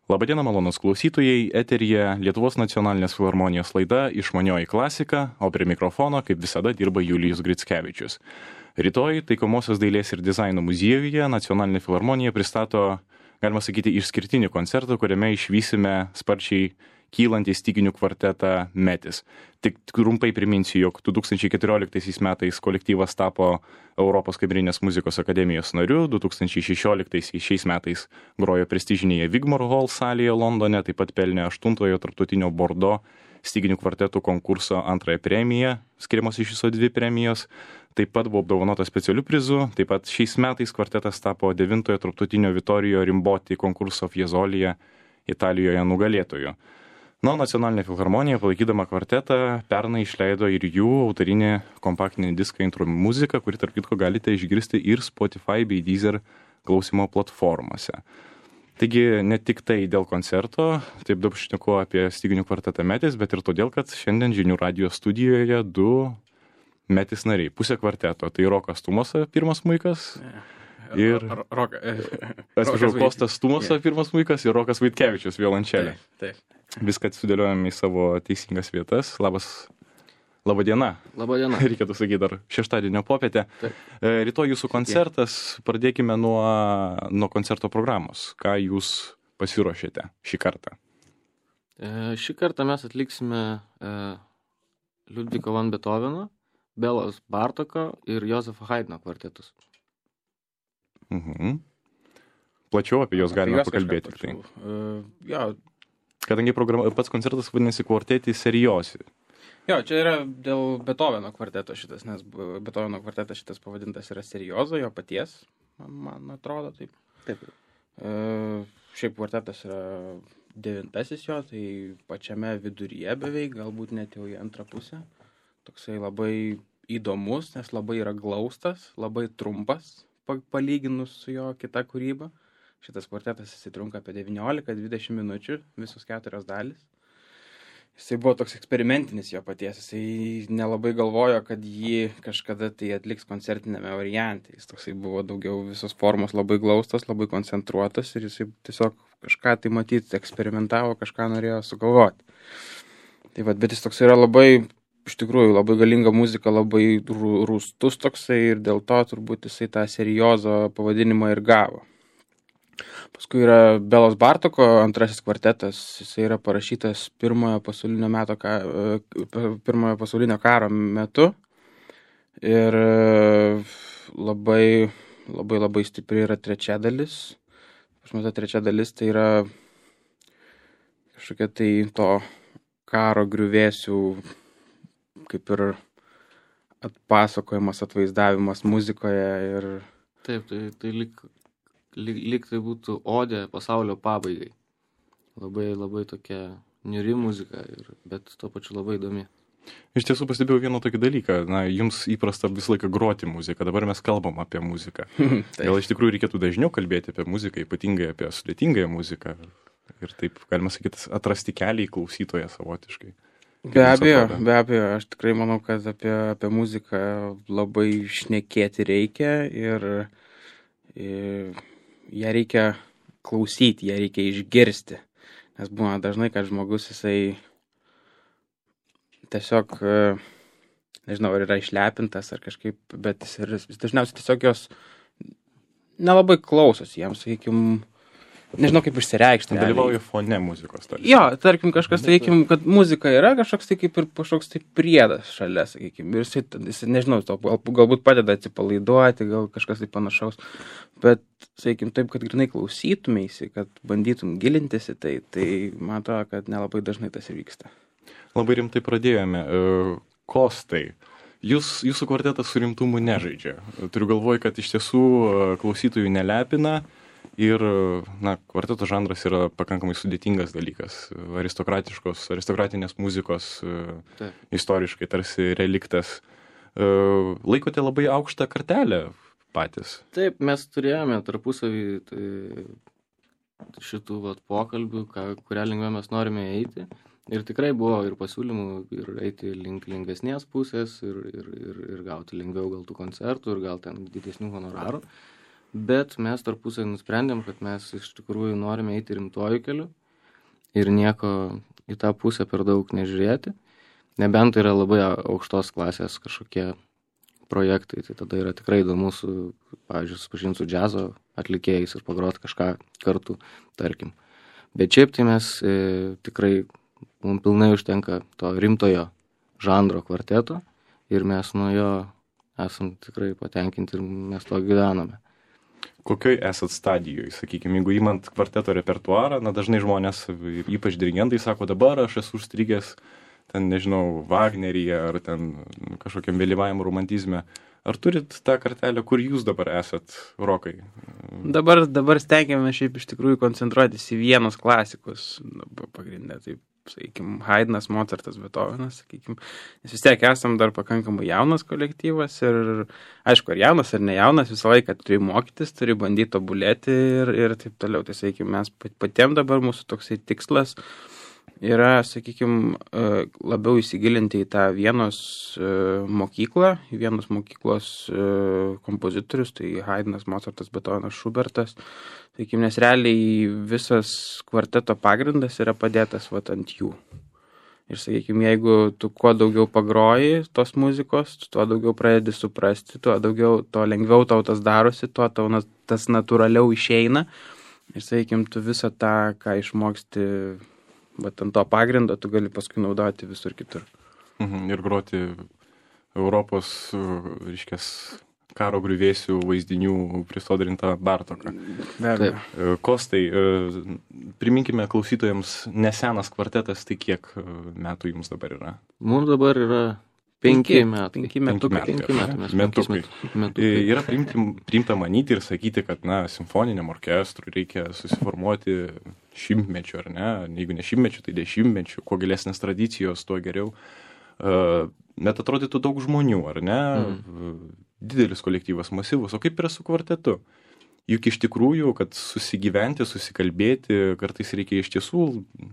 Labadiena, malonūs klausytojai, eteryje Lietuvos nacionalinės filharmonijos laida Išmanioji klasika, o prie mikrofono, kaip visada, dirba Julijus Grickevičius. Rytoj Taikomosios dailės ir dizaino muziejuje Nacionalinė filharmonija pristato, galima sakyti, išskirtinį koncertą, kuriame išvysime sparčiai kylantį styginių kvartetą Metis. Tik trumpai priminsiu, jog 2014 metais kolektyvas tapo Europos kamerinės muzikos akademijos nariu, 2016 šiais metais grojo prestižinėje Wigmore Hall salėje Londone, taip pat pelnė 8-ojo tarptautinio Bordo styginių kvartetų konkurso 2 premiją, skiriamos iš viso 2 premijos, taip pat buvo apdovanotas specialiu prizu, taip pat šiais metais kvartetas tapo 9-ojo tarptautinio Vittorio Rimboti konkurso Fiesoliją Italijoje nugalėtoju. Nacionalinė filharmonija, palaikydama kvartetą, pernai išleido ir jų autorinį kompaktinį diską Intro muzika, kurį tarp kitko galite išgirsti ir Spotify bei Deezer klausimo platformose. Taigi ne tik tai dėl koncerto, taip daug šneku apie styginių kvartetą Metis, bet ir todėl, kad šiandien Žinių radijo studijoje 2 Metis nariai, pusė kvarteto. Tai Rokas Tumosa, pirmas smuikas. Ir Kostas Tumosa, pirmas smuikas, ir Rokas Vaitkevičius, violončelė. Taip. Viską sudėliojame į savo teisingas vietas. Labadiena. Labadiena. Reikėtų sakyti dar šeštadienio popietę. Rytoj jūsų koncertas. Pradėkime nuo koncerto programos. Ką jūs pasiruošėte šį kartą? Šį kartą mes atliksime Liudviko van Beethoveno, Belos Bartoko ir Josefo Haydno kvartetus. Plačiau apie juos galime pakalbėti. Kadangi pats koncertas vadinasi Quarteti Seriosi. Jo, čia yra dėl Beethoveno kvarteto šitas, nes Beethoveno kvartetas šitas pavadintas yra Seriozo, jo paties, man atrodo taip. Taip. Šiaip kvartetas yra 9-asis jo, tai pačiame viduryje beveik, galbūt net jau į antrą pusę. Toksai labai įdomus, nes labai yra glaustas, labai trumpas, palyginus su jo kita kūryba. Šitas kvartetas trunka apie 19-20 minučių, visos 4 dalys. Jisai buvo toks eksperimentinis jo paties, jisai nelabai galvojo, kad jį kažkada tai atliks koncertinėme variante. Jis toksai buvo daugiau visos formos labai glaustas, labai koncentruotas ir jisai tiesiog kažką tai matyti eksperimentavo, kažką norėjo sugalvoti. Tai bet jis toksai yra labai, iš tikrųjų, labai galinga muzika, labai rūstus toksai ir dėl to turbūt jisai tą Seriozo pavadinimą ir gavo. Paskui yra Belos Bartoko 2-asis kvartetas, jisai yra parašytas pirmojo pasaulinio karo metu ir labai stipri yra 3 dalis. Pas mus ta 3 dalis tai yra kažkokia tai to karo griuvėsių kaip ir atpasakojimas, atvaizdavimas muzikoje ir... Taip, tai lyg tai būtų odė pasaulio pabaigai. Labai tokia niūri muzika, bet tuo pačiu labai įdomi. Iš tiesų pastebėjau vieną tokį dalyką. Jums įprasta visą laiką groti muziką, dabar mes kalbam apie muziką. Gal iš tikrųjų reikėtų dažniau kalbėti apie muziką, ypatingai apie sudėtingąją muziką. Ir taip, galima sakyti, atrasti kelią į klausytoją savotiškai. Be abejo, aš tikrai manau, kad apie muziką labai šnekėti reikia ir ją reikia klausyti, ją reikia išgirsti. Nes būna dažnai, kad žmogus jisai tiesiog, nežinau, ar yra išlepintas ar kažkaip, bet jis dažniausiai tiesiog jos nelabai klausosi jiems, sakykime, nežinau kaip išsireikšti. Dalyvauja fone muzikos. Jo, tarkim, kažkas, sakykime, kad muzika yra kažkoks tai kaip ir kažkoks tai priedas šalia, sakykime, ir jis nežinau, galbūt padeda atsipalaiduoti, gal kažkas tai panašaus, bet, sakykime, taip, kad grinai klausytumėsi, kad bandytum gilintis į tai man atrodo, kad nelabai dažnai tas ir vyksta. Labai rimtai pradėjome. Kostai, jūsų kvartetas su rimtumu nežaidžia. Turiu galvoj, kad iš tiesų klausytojų nelepina. Ir, kvarteto žanras yra pakankamai sudėtingas dalykas. Aristokratinės muzikos istoriškai tarsi reliktas. Laikote labai aukštą kartelę patys? Taip, mes turėjome tarpusavį šitų pokalbių, kurią lengvę mes norime eiti. Ir tikrai buvo ir pasiūlymų ir eiti link lengvesnės pusės ir gauti lengviau gal tų koncertų ir gal ten didesnių honorarų. bet mes tarpusai nusprendėm, kad mes iš tikrųjų norime eiti rimtuoju keliu ir nieko į tą pusę per daug nežiūrėti, nebent tai yra labai aukštos klasės kažkokie projektai, tai tada yra tikrai įdomu pavyzdžiui, susipažinti su džiazo atlikėjais ir pagroti kažką kartu, tarkim. Bet šiaip tai mes tikrai, mums pilnai užtenka to rimtojo žanro kvarteto ir mes nuo jo esam tikrai patenkinti ir mes to gyvename. Kokioj esat stadijoje, sakykime, jeigu įmant kvarteto repertuarą, na dažnai žmonės, ypač dirigentai, sako, dabar aš esu užstrigęs ten, nežinau, Wagneryje ar ten kažkokiam vėlyvajam romantizme. Ar turit tą kartelę, kur jūs dabar esat, Rokai? Dabar stengiame šiaip iš tikrųjų koncentruotis į vienus klasikus pagrindę, taip, sakykime, Haydnas, Mozartas, Beethovenas, sakykime, nes vis tiek esam dar pakankamai jaunas kolektyvas ir, aišku, ar jaunas, ar ne jaunas, visą laiką turi mokytis, turi bandyti tobulėti ir taip toliau. Tai, sakykime, mes patiem dabar mūsų toksai tikslas yra, sakykime, labiau įsigilinti į tą Vienos mokyklą, į Vienos mokyklos kompozitorius, tai Haydnas, Mozartas, Beethovenas, Schubertas. Sakykime, nes realiai visas kvarteto pagrindas yra padėtas ant jų. Ir, sakykime, jeigu tu kuo daugiau pagroji tos muzikos, tuo daugiau pradedi suprasti, tuo lengviau tau tas darosi, tuo tau tas natūraliau išeina. Ir, sakykime, tu visą tą, ką išmoksti ant to pagrindo, tu gali paskui naudoti visur kitur. Ir groti Europos, reiškias, karo griuvėsių vaizdinių prisodrintą Bartoką. Kostai, priminkime klausytojams, nesenas kvartetas, tai kiek metų jums dabar yra? Mums dabar yra 5 metai. 5 metukai. Yra priimta manyti ir sakyti, kad, simfoniniam orkestrui reikia susiformuoti šimtmečių, ar ne? Jeigu ne šimtmečių, tai 10-mečių. Kuo gilesnės tradicijos, tuo geriau. Bet atrodytų daug žmonių, ar ne? Didelis kolektyvas, masyvus. O kaip yra su kvartetu? Juk iš tikrųjų, kad susigyventi, susikalbėti, kartais reikia iš tiesų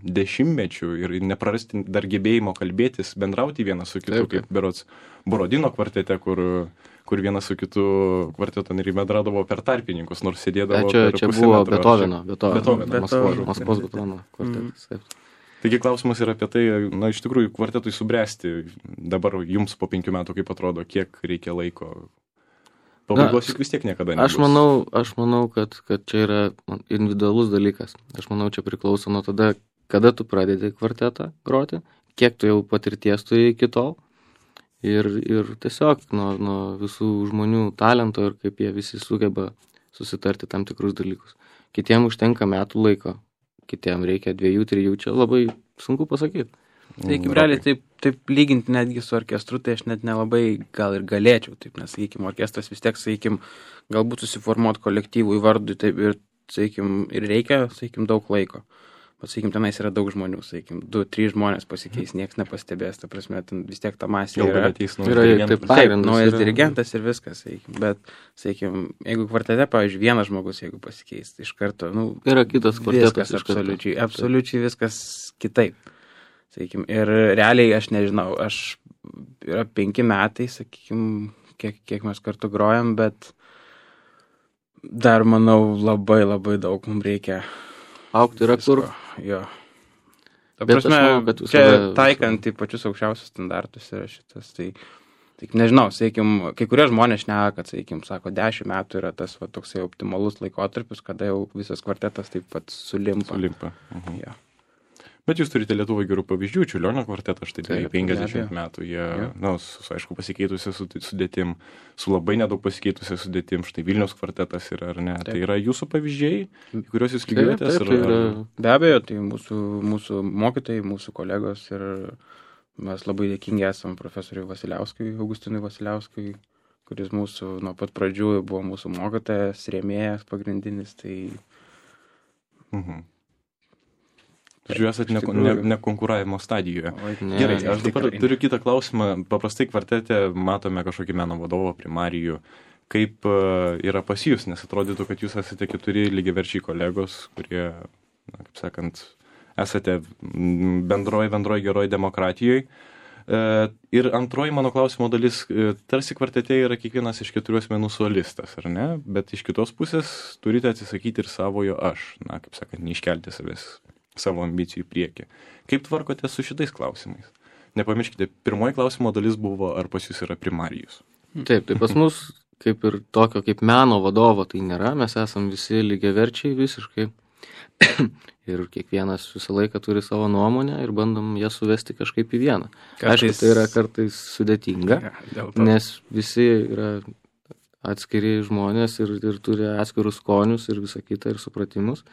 10-mečių ir neprarasti dar gebėjimo kalbėtis, bendrauti vienas su kitu, kaip berods Borodino kvartete, kur vienas su kitu kvarteto nariai bendradavo per tarpininkus, nors sėdėdavo per pusę metro. Čia buvo Maskvos Beethoveno kvartetas. Taigi klausimas yra apie tai, iš tikrųjų, kvartetui subręsti dabar jums po 5 metų, kaip atrodo, kiek reikia laiko. Pabaigos juk vis tiek niekada nebus. Aš manau, kad čia yra individualus dalykas. Aš manau, čia priklauso nuo tada, kada tu pradedi kvartetą groti, kiek tu jau patirties turi iki tol ir tiesiog nuo visų žmonių talento ir kaip jie visi sugeba susitarti tam tikrus dalykus. Kitiem užtenka metų laiko, kitiem reikia 2-3, čia labai sunku pasakyti. Tai kaip realiai taip lyginti netgi su orkestru, tai aš net nelabai gal ir galėčiau, taip, nes, sakykime, orkestras vis tiek, sakykime, galbūt susiformuoti kolektyvui vardui, taip, ir, sakykime, ir reikia, sakykime, daug laiko. Bet, sakykime, tenais yra daug žmonių, sakykime, 2-3 žmonės pasikeis, niekas nepastebės, ta prasme, vis tiek ta masė yra. Naujas dirigentas ir viskas, sakykime. Bet, sakykime, jeigu kvartete, pavyzdžiui, vienas žmogus, jeigu pasikeis, iš karto, yra kitas kvartetas, absoliučiai viskas kitaip. Sakykime, ir realiai aš nežinau, yra 5 metai, sakykime, kiek mes kartu grojam, bet dar, manau, labai labai daug mums reikia augti yra kur. Jo. Ta prasme, čia taikant į pačius aukščiausius standartus yra šitas, tai nežinau, sakykime, kai kurie žmonės šneka, kad, sakykime, sako, 10 metų yra tas toksai optimalus laikotarpis, kada jau visas kvartetas taip pat sulimpa. Ja. Bet jūs turite Lietuvoje gerų pavyzdžių, Čiurlionio kvartetas, štai 50 metų, jie, aišku, pasikeitusią sudėtim, su labai nedaug pasikeitusią sudėtim, štai Vilniaus kvartetas yra, ar ne? Tai yra jūsų pavyzdžiai, kuriuos jūs lygiuojatės? Be abejo, tai mūsų mokytojai, mūsų kolegos ir mes labai dėkingi esam profesoriui Vasiliauskui, Augustinui Vasiliauskui, kuris mūsų nuo pat pradžių buvo mūsų mokytojas, rėmėjas pagrindinis, tai... Jūs esate nekonkuravimo stadijoje. Gerai, aš dabar turiu kitą klausimą. Paprastai kvartete matome kažkokį meno vadovą, primarijų. Kaip yra pas jūs, nes atrodytų, kad jūs esate 4 lygiaverčiai kolegos, kurie, kaip sakant, esate bendroj geroj demokratijoje. Ir antroji mano klausimo dalis, tarsi kvartete yra kiekvienas iš 4 asmenų solistas, ar ne? Bet iš kitos pusės turite atsisakyti ir savojo aš, na, kaip sakant, neiškelti savęs savo ambicijų į priekį. Kaip tvarkote su šitais klausimais? Nepamirškite, pirmoji klausimo dalis buvo, ar pas jūs yra primarijus. Taip, tai pas mus kaip ir tokio kaip meno vadovo tai nėra, mes esam visi lygiaverčiai visiškai. Ir kiekvienas visą laiką turi savo nuomonę ir bandom ją suvesti kažkaip į vieną. Aišku, tai yra kartais sudėtinga, nes visi yra atskiri žmonės ir turi atskirus skonius ir visą kitą ir supratimus.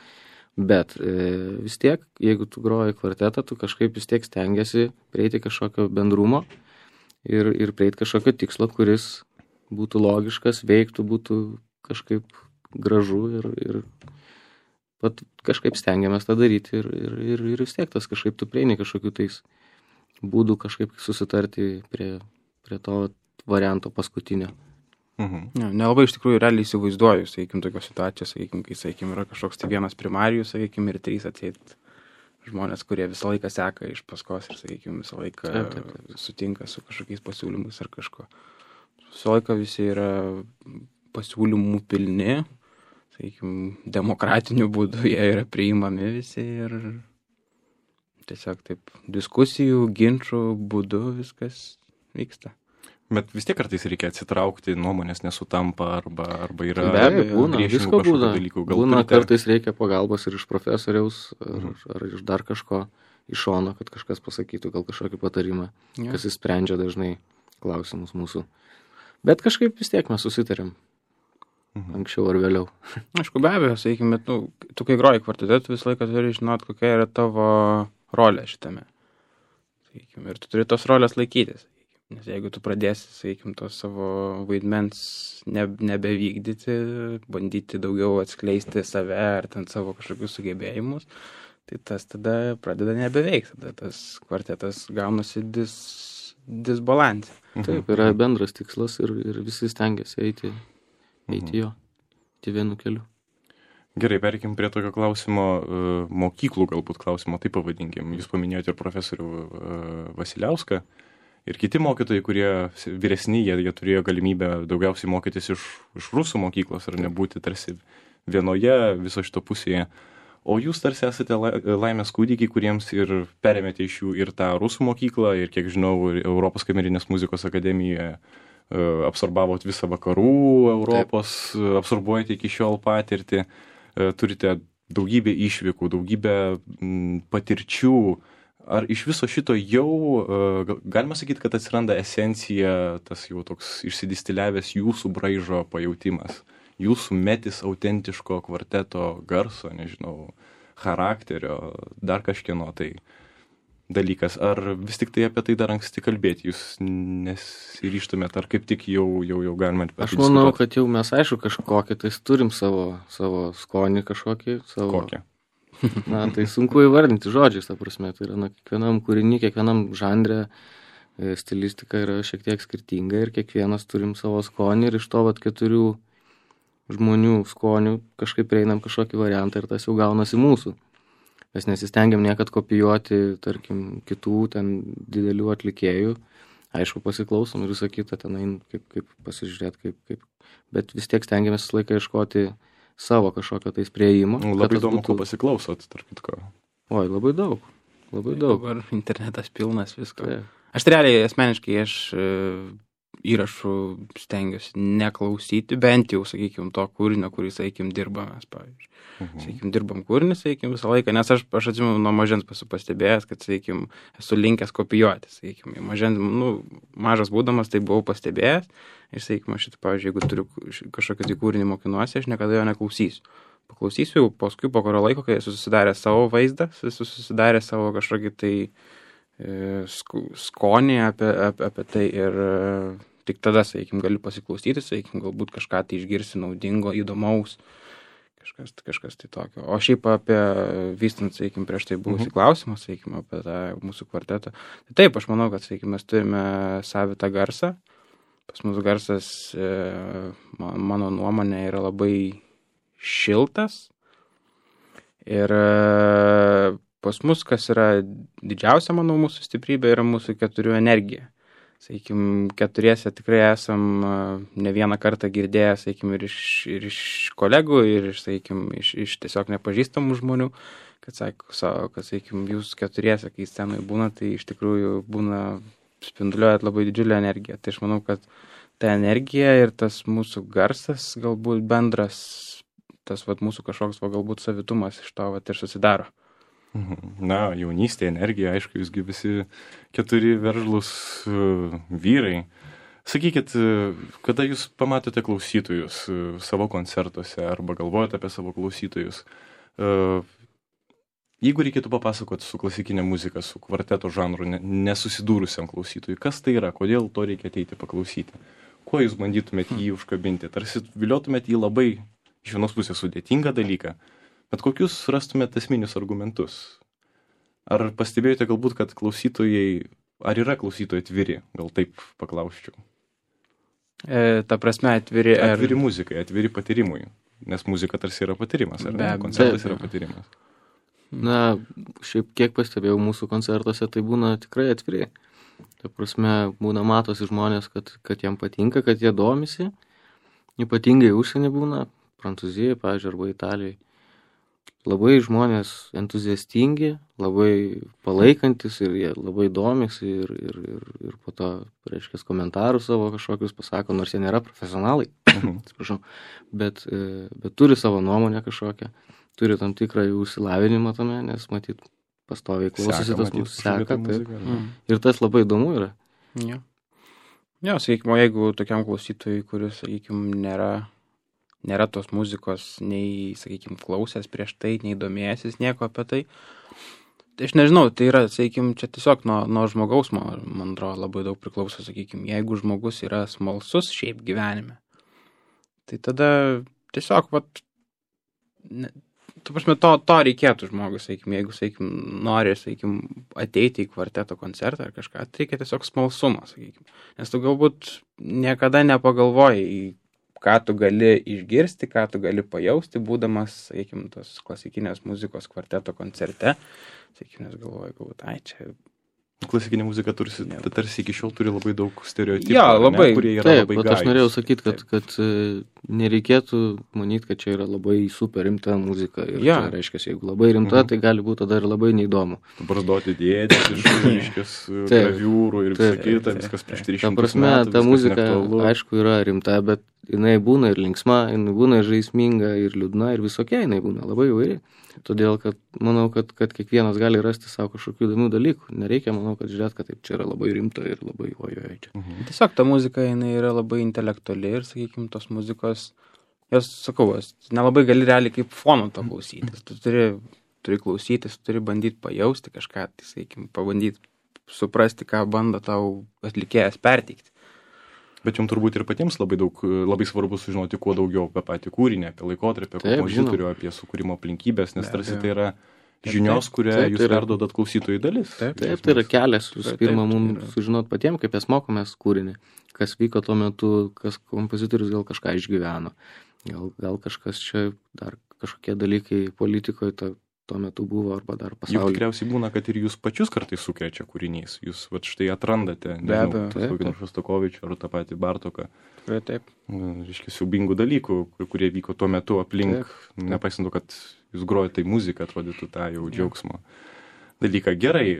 Bet vis tiek, jeigu tu groji kvartetą, tu kažkaip vis tiek stengiasi prieiti kažkokio bendrumo ir prieiti kažkokio tikslo, kuris būtų logiškas, veiktų, būtų kažkaip gražu ir kažkaip stengiamės tą daryti ir vis tiek tas kažkaip tu prieini kažkokių tais būdų kažkaip susitarti prie to varianto paskutinio. Nelabai iš tikrųjų realiai įsivaizduoju, sakykim, tokios situacijos, sakykim, kai, sakykim, yra kažkoks tai vienas primarijus, sakykim, ir 3 atseit žmonės, kurie visą laiką seka iš paskos ir, sakykim, visą laiką sutinka su kažkokiais pasiūlymais ar kažko. Visą laiką visi yra pasiūlymų pilni, sakykim, demokratiniu būdu jie yra priimami visi ir tiesiog taip diskusijų, ginčų būdu viskas vyksta. Bet vis tiek kartais reikia atsitraukti, nuomonės nesutampa arba yra be abejo, būna, visko būna. Dalykų. Būna kartais reikia pagalbos ir iš profesoriaus ar iš dar kažko iš šono, kad kažkas pasakytų gal kažkokį patarimą, kas įsprendžia dažnai klausimus mūsų. Bet kažkaip vis tiek mes susitarėm. Anksčiau ar vėliau. Aišku, be abejo, sakykime, tu kai groji kvartete, tu visą laiką turi žinot, kokia yra tavo rolė šitame. Sakykime, ir tu turi tos rolės laikytis. Nes jeigu tu pradėsi, sakykime, to savo vaidmens nebevykdyti, bandyti daugiau atskleisti save ar ten savo kažkokius sugebėjimus, tai tas tada pradeda nebeveikti. Tada tas kvartetas gaunasi disbalansė. Taip, yra bendras tikslas ir visi stengiasi eiti jo, vienu keliu. Gerai, perikim prie tokio klausimo, mokyklų galbūt klausimo, taip pavadinkim. Jūs paminėjote ir profesorių Vasiliauską ir kiti mokytojai, kurie vyresni, jie turėjo galimybę daugiausiai mokytis iš rusų mokyklos ar nebūti tarsi vienoje viso šito pusėje. O jūs tarsi esate laimės kūdikiai, kuriems ir perėmėte iš jų ir tą rusų mokyklą, ir kiek žinau, Europos kamerinės muzikos akademijoje absorbavot visą vakarų Europos, absorbuojate iki šiol patirtį, turite daugybę išvykų, daugybę patirčių. Ar iš viso šito jau galima sakyti, kad atsiranda esencija, tas jau toks išsidistiliavęs jūsų braižo pajautimas, jūsų metis autentiško kvarteto garso, nežinau, charakterio, dar kažkieno tai dalykas, ar vis tik tai apie tai dar anksti kalbėti, jūs nesiryžtumėt, ar kaip tik jau galima apie tai diskutuoti? Aš manau, kad jau mes aišku kažkokį, tai turim savo skonį kažkokį. Kokią? Na, tai sunku įvardinti žodžiais, ta prasme, tai yra kiekvienam kūrinį, kiekvienam žanre stilistika yra šiek tiek skirtinga ir kiekvienas turim savo skonį ir iš to 4 žmonių skonių kažkaip prieinam kažkokį variantą ir tas jau gaunasi mūsų. Mes nesistengiam niekad kopijuoti, tarkim, kitų ten didelių atlikėjų. Aišku, pasiklausom ir visą kitą ten kaip pasižiūrėti, kaip. Bet vis tiek stengiamės visą laiką ieškoti savo kažkokio tais priėjimo. Labai įdomu, ko pasiklausot, tarp kitko. Oi, labai daug. Labai daug. Dabar internetas pilnas visko. Tai. Aš realiai asmeniškai įrašų stengiuosi neklausyti, bent jau, sakykime, to kūrinio, kurį, sakykime, dirbame, pavyzdžiui. Sakykime, dirbam kūrinį, sakykime, visą laiką, nes aš atsimenu nuo mažens pastebėjęs, kad, sakykime, esu linkęs kopijuoti, sakykime, mažas būdamas tai buvau pastebėjęs ir, sakykime, aš, pavyzdžiui, jeigu turiu kažkokį tai kūrinį mokinuosi, aš niekada jo neklausysiu. Paklausysiu jau paskui po kurio laiko, kai esu susidarę savo vaizdą, esu susidarę savo kažkokį tai skonį apie tai ir tik tada, sakykime, galiu pasiklausyti, sakykime, galbūt kažką tai išgirsi naudingo, įdomaus, kažkas tai tokio. O šiaip apie vystant, sakykime, prieš tai buvusį klausimą, sakykime, apie tą mūsų kvartetą. Tai taip, aš manau, kad, sakykime, mes turime savitą garsą. Pas mūsų garsas, mano nuomonė, yra labai šiltas ir pas mus, kas yra didžiausia, manau, mūsų stiprybė, yra mūsų 4 energija. Sakykim, 4 tikrai esam ne vieną kartą girdėję, sakykim, ir iš kolegų, ir iš tiesiog nepažįstamų žmonių, kad sakykim, jūs 4, kai scenoje būna, tai iš tikrųjų būna spinduliuojat labai didžiulę energiją. Tai aš manau, kad ta energija ir tas mūsų garsas, galbūt bendras, tas mūsų kažkoks galbūt savitumas iš to ir susidaro. Na, jaunystė, energija, aišku, jūsgi visi 4 veržlus vyrai. Sakykit, kada jūs pamatote klausytojus savo koncertuose arba galvojate apie savo klausytojus, jeigu reikėtų papasakoti su klasikinė muzika, su kvarteto žanru nesusidūrusiam klausytojui, kas tai yra, kodėl to reikia ateiti paklausyti, kuo jūs bandytumėte jį užkabinti, tarsi viliotumėte jį labai iš vienos pusės sudėtingą dalyką, bet kokius rastumėte esminius argumentus? Ar pastebėjote galbūt, kad klausytojai, ar yra klausytojai atviri? Gal taip paklausčiau. Ta prasme atviri... Atviri muzikai, atviri patyrimui. Nes muzika tarsi yra patyrimas, ar ne? Koncertas yra patyrimas. Na, šiaip kiek pastebėjau mūsų koncertuose, tai būna tikrai atviri. Ta prasme, būna matosi žmonės, kad jam patinka, kad jie domisi. Ypatingai užsienį būna, Prancūzijoje, pavyzdžiui, arba Italijoje. Labai žmonės entuziastingi, labai palaikantis ir jie labai domisi ir po to, reiškia, komentarus savo kažkokius pasako, nors jie nėra profesionalai, atsiprašau, bet turi savo nuomonę kažkokią, turi tam tikrą jų išsilavinimą tame, nes matyt, pastoviai klausosi tas mūsų seka. Ir tas labai įdomu yra. Jo, sakykime, jeigu tokiam klausytojui, kuris, sakykime, nėra tos muzikos, nei, sakykime, klausęs prieš tai, nei domėjęsis nieko apie tai. Tai aš nežinau, tai yra, sakykime, čia tiesiog nuo žmogaus, man atrodo, labai daug priklauso, sakykime, jeigu žmogus yra smalsus šiaip gyvenime, tai tada tiesiog, tu prasme, to reikėtų žmogus, sakykime, jeigu, sakykime, nori, sakykime, ateiti į kvarteto koncertą ar kažką, tai reikia tiesiog smalsumo, sakykime, nes tu galbūt niekada nepagalvoji, ką tu gali išgirsti, ką tu gali pajausti, būdamas, sakykime, tos klasikinės muzikos kvarteto koncerte. Sakykime, nes galvoju, galbūt, čia... Klasikinė muzika tarsi iki šiol turi labai daug stereotipų, labai, kurie yra labai gajūs. Aš norėjau sakyti, kad nereikėtų manyti, kad čia yra labai super rimta muzika. Ir čia reiškia, jeigu labai rimta, tai gali būti tada ir labai neįdomu. Barzdoti dėdės iš reiškias graviūrų ir visą kitą, viskas prieš 300 metų. Ta prasme, ta muzika, aišku, yra rimta, bet jinai būna ir linksma, jinai būna ir žaisminga, ir liūdna, ir visokia jinai būna, labai įvairi. Todėl, kad manau, kad kiekvienas gali rasti savo kažkokių įdomių dalykų. Nereikia, manau, kad žiūrėt, kad taip čia yra labai rimta ir labai ojoj čia. Tiesiog ta muzika, jinai yra labai intelektuali ir, sakykime, tos muzikos, jos, sakau, nelabai gali realiai kaip fono to klausytis. Tu turi klausytis, turi bandyti pajausti kažką, tai, sakykime, pabandyti suprasti, ką bando tau atlikėjas perteikti. Bet jums turbūt ir patiems labai svarbu sužinoti kuo daugiau apie patį kūrinį, apie laikotarpį, apie kompozitorių, apie sukūrimo aplinkybės, nes tarsi tai yra žinios, kurią jūs perduodat klausytojų dalis. Taip, tai yra kelias, pirma, mums sužinot patiems, kaip mes mokomės kūrinį, kas vyko tuo metu, kas kompozitorius gal kažką išgyveno, gal kažkas čia dar kažkokie dalykai politikoje tuo metu buvo arba dar pasaulyje. Juk tikriausiai būna, kad ir jūs pačius kartais sukrečia kūrinys. Jūs štai atrandate, nežinau, kokį nors Šostakovičių ar tą patį Bartoką. Taip. Reiškia, siaubingų dalykų, kurie vyko tuo metu aplink, nepaisant to, kad jūs grojate tai muziką, atrodytų tą jau džiaugsmo dalyką. Gerai,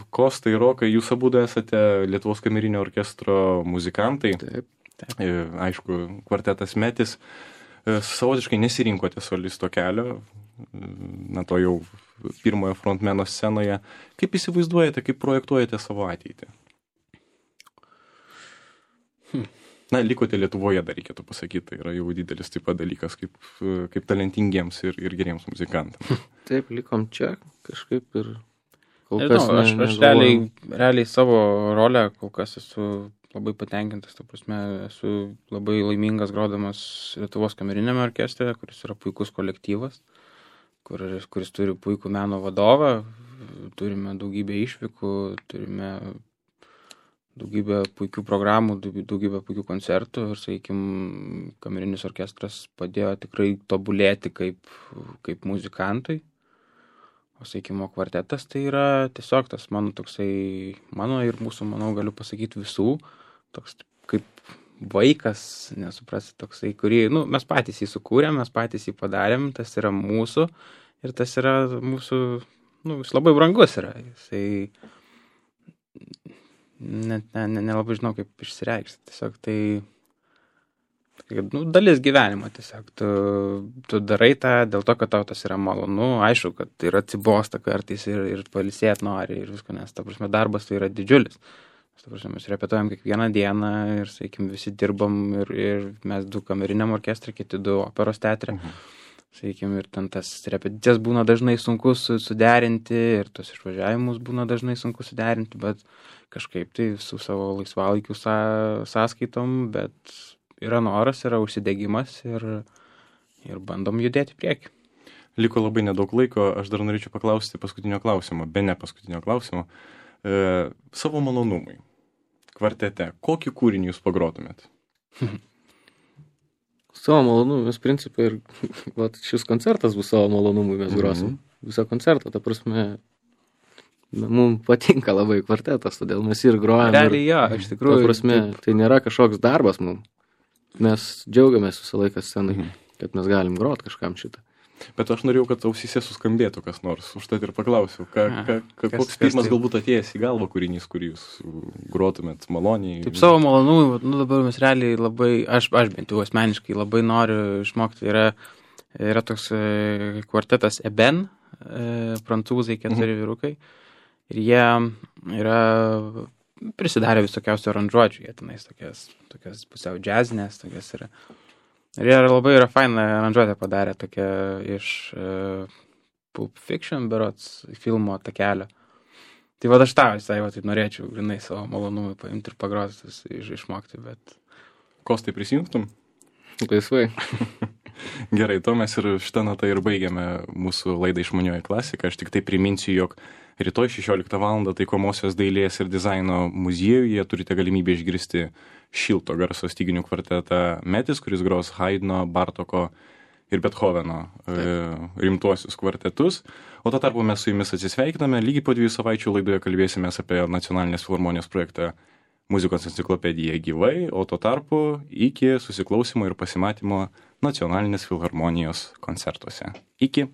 Kostai, Rokai, jūs abudu esate Lietuvos kamerinio orkestro muzikantai. Taip. Aišku, kvartetas Metis. Savotiškai nesirinkote solisto kelio, na to jau pirmojo frontmeno scenoje. Kaip įsivaizduojate, kaip projektuojate savo ateitį? Na, likote Lietuvoje, dar reikėtų pasakyti, tai yra jau didelis taip pat dalykas, kaip talentingiems ir geriems muzikantams. Taip, likom čia kažkaip ir kol kas aš realiai savo rolę kol kas esu labai patenkintas, ta prasme, esu labai laimingas grodamas Lietuvos kameriniame orkestre, kuris yra puikus kolektyvas, kuris turi puikų meno vadovą, turime daugybę išvykų, turime daugybę puikių programų, daugybę puikių koncertų ir, sakykime, kamerinis orkestras padėjo tikrai tobulėti kaip muzikantui. O sakymo kvartetas tai yra tiesiog tas mano toksai, mano ir mūsų, manau, galiu pasakyti visų, toks kaip vaikas, nesuprasi, toksai, kurį, mes patys jį sukūrėm, mes patys jį padarėm, tas yra mūsų ir tas yra mūsų, jis labai brangus yra, jisai net nelabai žinau, kaip išsireikšti, tiesiog tai dalis gyvenimo tiesiog. Tu darai tą dėl to, kad tau tas yra malonu. Aišku, kad ir atsibosta kartais ir pailsėt nori ir visko, nes, ta prasme, darbas tai yra didžiulis. Ta prasme, mes repetuojam kiekvieną dieną ir, sakykim, visi dirbam ir mes 2 kameriniam orkestrui, kiti 2 operos teatre. Sakykim, ir ten tas repeticijas būna dažnai sunku suderinti ir tos išvažiavimus būna dažnai sunku suderinti, bet kažkaip tai su savo laisvalaikių sąskaitom, bet yra noras, yra užsidegimas ir bandom judėti prieki. Liko labai nedaug laiko, aš dar norėčiau paklausti paskutinio klausimo, ne paskutinio klausimo. Savo malonumui kvartete, kokį kūrinį jūs pagrotumėt? Savo malonumui, mes principai ir šis koncertas bus savo malonumui, mes grosim visą koncertą, ta prasme, mums patinka labai kvartetas, todėl mes ir grojam. Realiai jo, iš tikrųjų. Ta prasme, tai nėra kažkoks darbas mums. Mes džiaugiamės visą laiką scenai, kad mes galim grot kažkam šitą. Bet aš norėjau, kad ausyse suskambėtų kas nors, užtat ir paklausiau, koks pirmas galbūt atėjęs į galvą kūrinys, kurį jūs grotumėt maloniai. Taip, savo malonumui, dabar mes realiai labai, aš bent jau asmeniškai labai noriu išmokti, yra toks kvartetas Eben, prancūzai 4 vyrukai, ir jie yra prisidarė visokiausių aranžuočių, jie tenais tokias pusiau džiazinės, tokias yra. Ir jie labai yra fainą aranžuotę padarė tokia iš Pulp Fiction, berods, filmo takelio. Tai aš tą visai tai norėčiau grinai savo malonumui paimti ir pagroti, išmokti, bet... Kostai, prisijungtum? Laisvai. Gerai, to mes ir šitą natą ir baigiame mūsų laidą Išmanioji klasika. Aš tik tai priminsiu, jog rytoj 16 val. Taikomosios dailės ir dizaino muziejuje turite galimybę išgirsti šilto garso styginių kvartetą Metis, kuris gros Haydno, Bartoko ir Bethoveno rimtuosius kvartetus. O tuo tarpu mes su jumis atsisveikiname. Lygiai po 2 savaičių laidoje kalbėsimės apie Nacionalinės filharmonijos projektą Muzikos enciklopedija gyvai, o tuo tarpu iki susiklausimo ir pasimatymo Nacionalinės filharmonijos koncertuose. Iki.